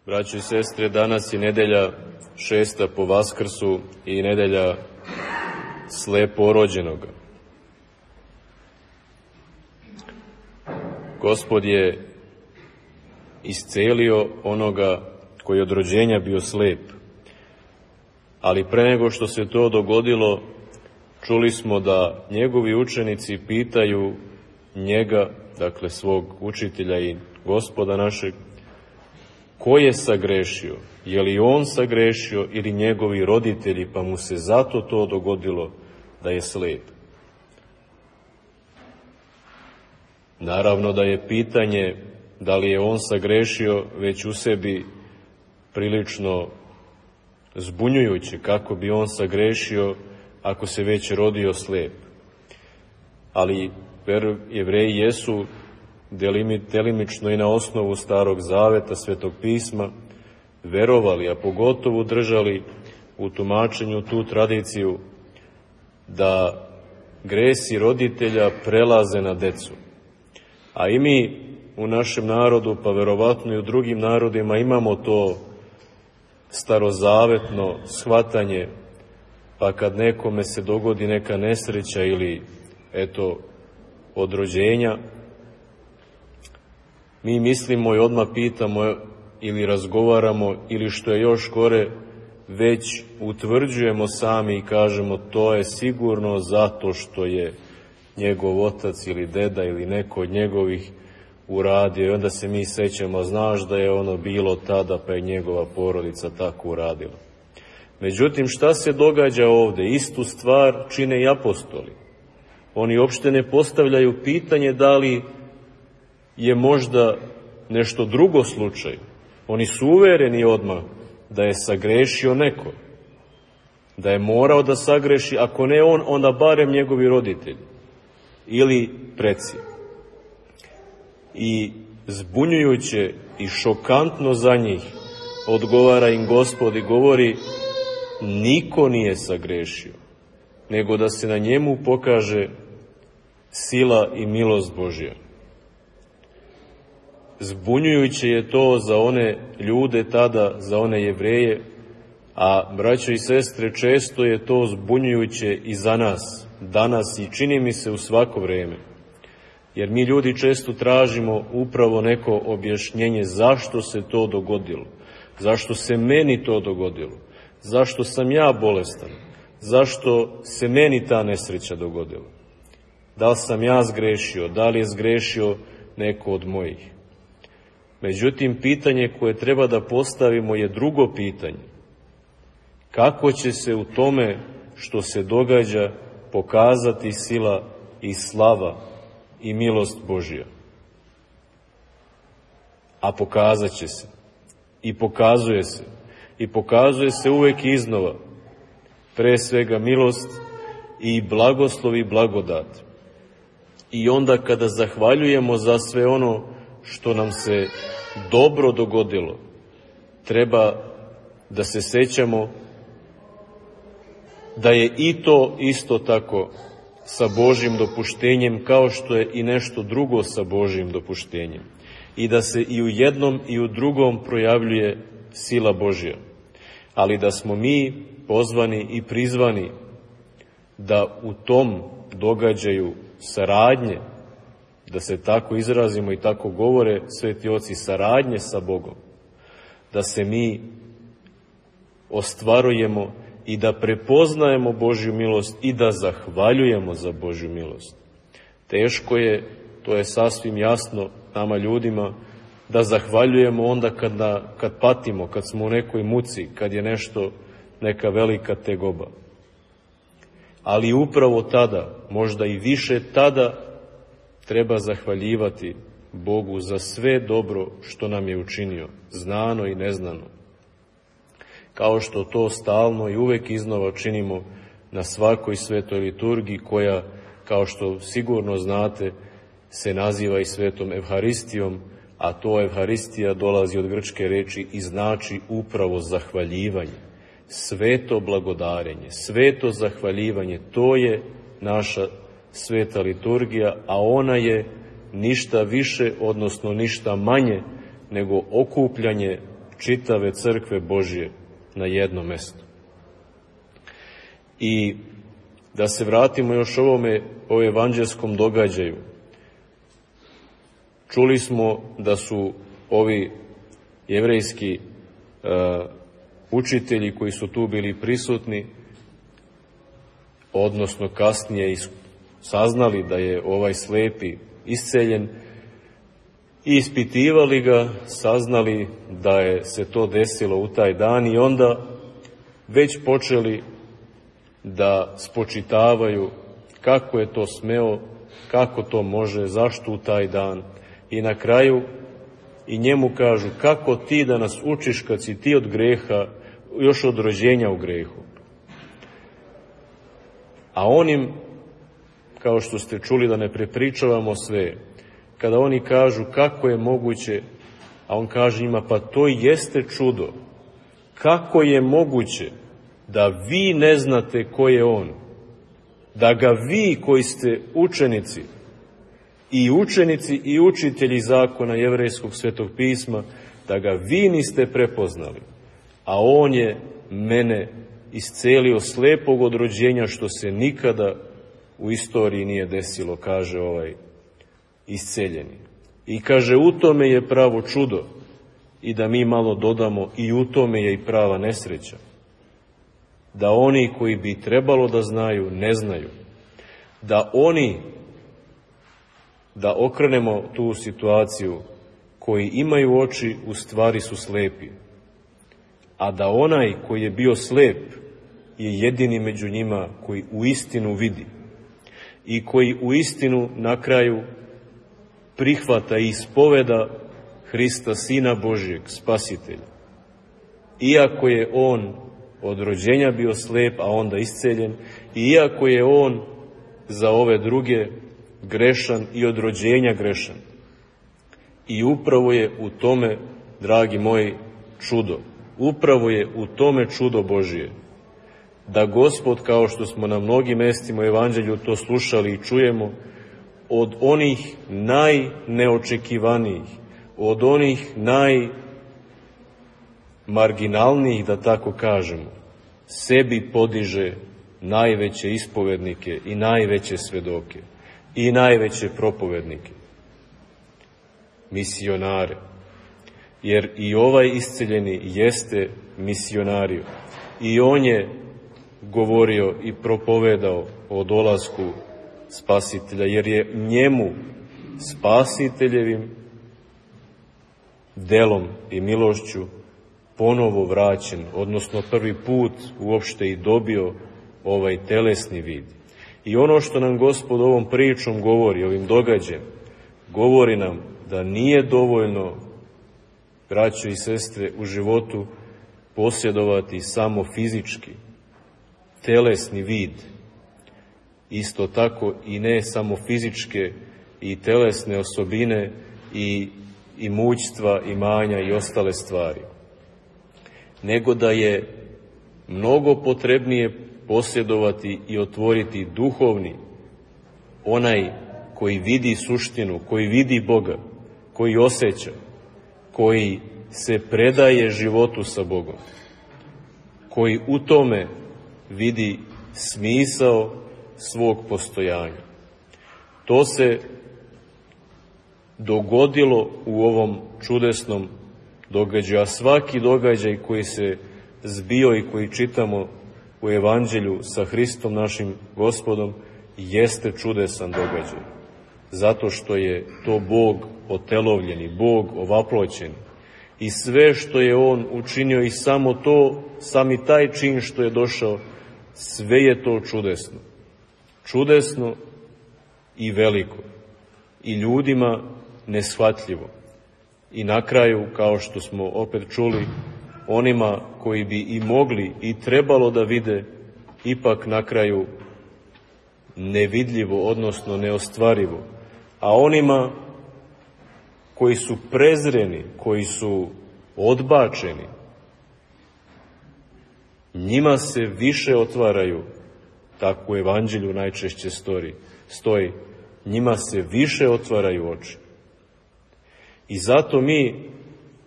Braćo i sestre, danas je nedelja 6. po Vaskrsu i nedelja sleporođenoga. Gospod je iscelio onoga koji je od rođenja bio slep. Ali pre nego što se to dogodilo, čuli smo da njegovi učenici pitaju njega, dakle svog učitelja i Gospoda našeg, ko je sagrešio? Je li on sagrešio ili njegovi roditelji, pa mu se zato to dogodilo da je slep? Naravno da je pitanje da li je on sagrešio već u sebi prilično zbunjujuće, kako bi on sagrešio ako se već rodio slep. Ali Jevreji jesu delimično i na osnovu Starog Zaveta, Svetog pisma, verovali, a pogotovo držali u tumačenju tu tradiciju da gresi roditelja prelaze na decu. A i mi u našem narodu, pa verovatno i u drugim narodima, imamo to starozavetno shvatanje, pa kad nekome se dogodi neka nesreća ili od rođenja, mi mislimo i odmah pitamo ili razgovaramo ili što je još gore, već utvrđujemo sami i kažemo to je sigurno zato što je njegov otac ili deda ili neko od njegovih uradio, i onda se mi sećamo, znaš da je ono bilo tada pa je njegova porodica tako uradila. Međutim, šta se događa ovde? Istu stvar čine i apostoli. Oni uopšte ne postavljaju pitanje da li je možda nešto drugo slučaj. Oni su uvereni odmah da je sagrešio neko, da je morao da sagreši, ako ne on, onda barem njegovi roditelji ili preci. I zbunjujuće i šokantno za njih odgovara im Gospod i govori: niko nije sagrešio, nego da se na njemu pokaže sila i milost Božja. Zbunjujuće je to za one ljude tada, za one Jevreje, a braćo i sestre, često je to zbunjujuće i za nas, danas, i čini mi se u svako vreme. Jer mi ljudi često tražimo upravo neko objašnjenje zašto se to dogodilo, zašto se meni to dogodilo, zašto sam ja bolestan, zašto se meni ta nesreća dogodila. Da li sam ja zgrešio, da li je zgrešio neko od mojih. Međutim, pitanje koje treba da postavimo je drugo pitanje. Kako će se u tome što se događa pokazati sila i slava i milost Božja? A pokazat će se. I pokazuje se. I pokazuje se uvek iznova. Pre svega milost i blagoslov i blagodat. I onda kada zahvaljujemo za sve ono što nam se dobro dogodilo, treba da se sećamo da je i to isto tako sa Božjim dopuštenjem, kao što je i nešto drugo sa Božjim dopuštenjem. I da se i u jednom i u drugom projavljuje sila Božja. Ali da smo mi pozvani i prizvani da u tom događaju saradnje, da se tako izrazimo i tako govore sveti oci, saradnje sa Bogom, da se mi ostvarujemo i da prepoznajemo Božju milost i da zahvaljujemo za Božju milost. Teško je, to je sasvim jasno nama ljudima, da zahvaljujemo onda kad patimo, kad smo u nekoj muci, kad je nešto, neka velika tegoba. Ali upravo tada, možda i više tada, treba zahvaljivati Bogu za sve dobro što nam je učinio, znano i neznano. Kao što to stalno i uvek iznova činimo na svakoj svetoj liturgiji koja, kao što sigurno znate, se naziva i svetom Evharistijom, a to Evharistija dolazi od grčke reči i znači upravo zahvaljivanje. Sveto blagodarenje, sveto zahvaljivanje, to je naša sveta liturgija, a ona je ništa više, odnosno ništa manje nego okupljanje čitave crkve Božje na jedno mesto. I da se vratimo još o evanđelskom događaju. Čuli smo da su ovi jevrejski učitelji koji su tu bili prisutni, odnosno kasnije saznali da je ovaj slepi isceljen, i ispitivali ga, saznali da je se to desilo u taj dan i onda već počeli da spočitavaju kako je to smeo, kako to može, zašto u taj dan. I na kraju i njemu kažu, kako ti da nas učiš kad si ti od greha, još od rođenja u grehu. A onim, kao što ste čuli, da ne prepričavamo sve, kada oni kažu kako je moguće, a on kaže njima, pa to jeste čudo. Kako je moguće da vi ne znate ko je on? Da ga vi koji ste učenici i učitelji zakona jevrejskog svetog pisma, da ga vi niste prepoznali, a on je mene iscelio slepog od rođenja, što se nikada u istoriji nije desilo, kaže ovaj isceljeni. I kaže, u tome je pravo čudo, i da mi malo dodamo, i u tome je i prava nesreća. Da oni koji bi trebalo da znaju, ne znaju. Da okrenemo tu situaciju, koji imaju oči, u stvari su slepi. A da onaj koji je bio slep je jedini među njima koji u istinu vidi i koji u istinu na kraju prihvata i ispoveda Hrista, Sina Božjeg, Spasitelja. Iako je on od rođenja bio slep, a onda isceljen, i iako je on za ove druge grešan i od rođenja grešan. I upravo je u tome, dragi moji, čudo. Upravo je u tome čudo Božije. Da Gospod, kao što smo na mnogim mestima u Evanđelju to slušali i čujemo, od onih najneočekivanijih, od onih najmarginalnijih, da tako kažemo, sebi podiže najveće ispovednike i najveće svedoke i najveće propovednike, misionare. Jer i ovaj isceljeni jeste misionario. I on je govorio i propovedao o dolasku Spasitelja, jer je njemu, Spasiteljevim delom i milošću, ponovo vraćen, odnosno prvi put uopšte i dobio ovaj telesni vid. I ono što nam Gospod ovom pričom govori, ovim događajem, govori nam da nije dovoljno, braćo i sestre, u životu posjedovati samo fizički, telesni vid. Isto tako i ne samo fizičke i telesne osobine i imućstva, imanja i ostale stvari, nego da je mnogo potrebnije posjedovati i otvoriti duhovni, onaj koji vidi suštinu, koji vidi Boga, koji osjeća, koji se predaje životu sa Bogom, koji u tome vidi smisao svog postojanja. To se dogodilo u ovom čudesnom događaju, a svaki događaj koji se zbio i koji čitamo u Evanđelju sa Hristom našim Gospodom jeste čudesan događaj. Zato što je to Bog otelovljeni, Bog ovaploćeni. I sve što je On učinio i sami taj čin što je došao, sve je to čudesno. Čudesno i veliko. I ljudima neshvatljivo. I na kraju, kao što smo opet čuli, onima koji bi i mogli i trebalo da vide, ipak na kraju nevidljivo, odnosno neostvarivo. A onima koji su prezreni, koji su odbačeni, njima se više otvaraju, tako u Evanđelju najčešće stoji, njima se više otvaraju oči. I zato mi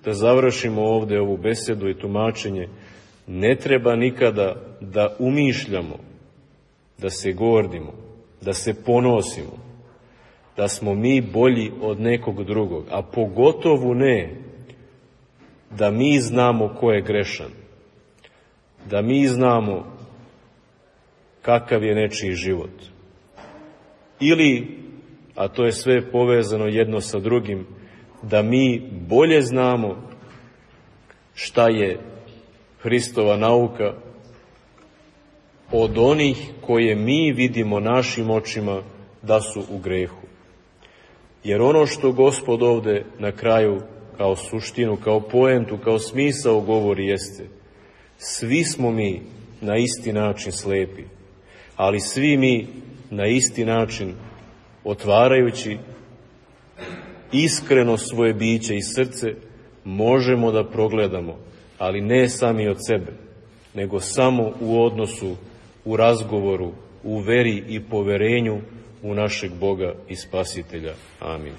da završimo ovdje ovu besedu i tumačenje, ne treba nikada da umišljamo, da se gordimo, da se ponosimo, da smo mi bolji od nekog drugog, a pogotovo ne da mi znamo ko je grešan, da mi znamo kakav je nečiji život. Ili, a to je sve povezano jedno sa drugim, da mi bolje znamo šta je Hristova nauka od onih koje mi vidimo našim očima da su u grehu. Jer ono što Gospod ovde na kraju kao suštinu, kao poentu, kao smisao govori jeste: svi smo mi na isti način slepi, ali svi mi na isti način otvarajući iskreno svoje biće i srce možemo da progledamo, ali ne sami od sebe, nego samo u odnosu, u razgovoru, u veri i poverenju u našeg Boga i Spasitelja. Amin.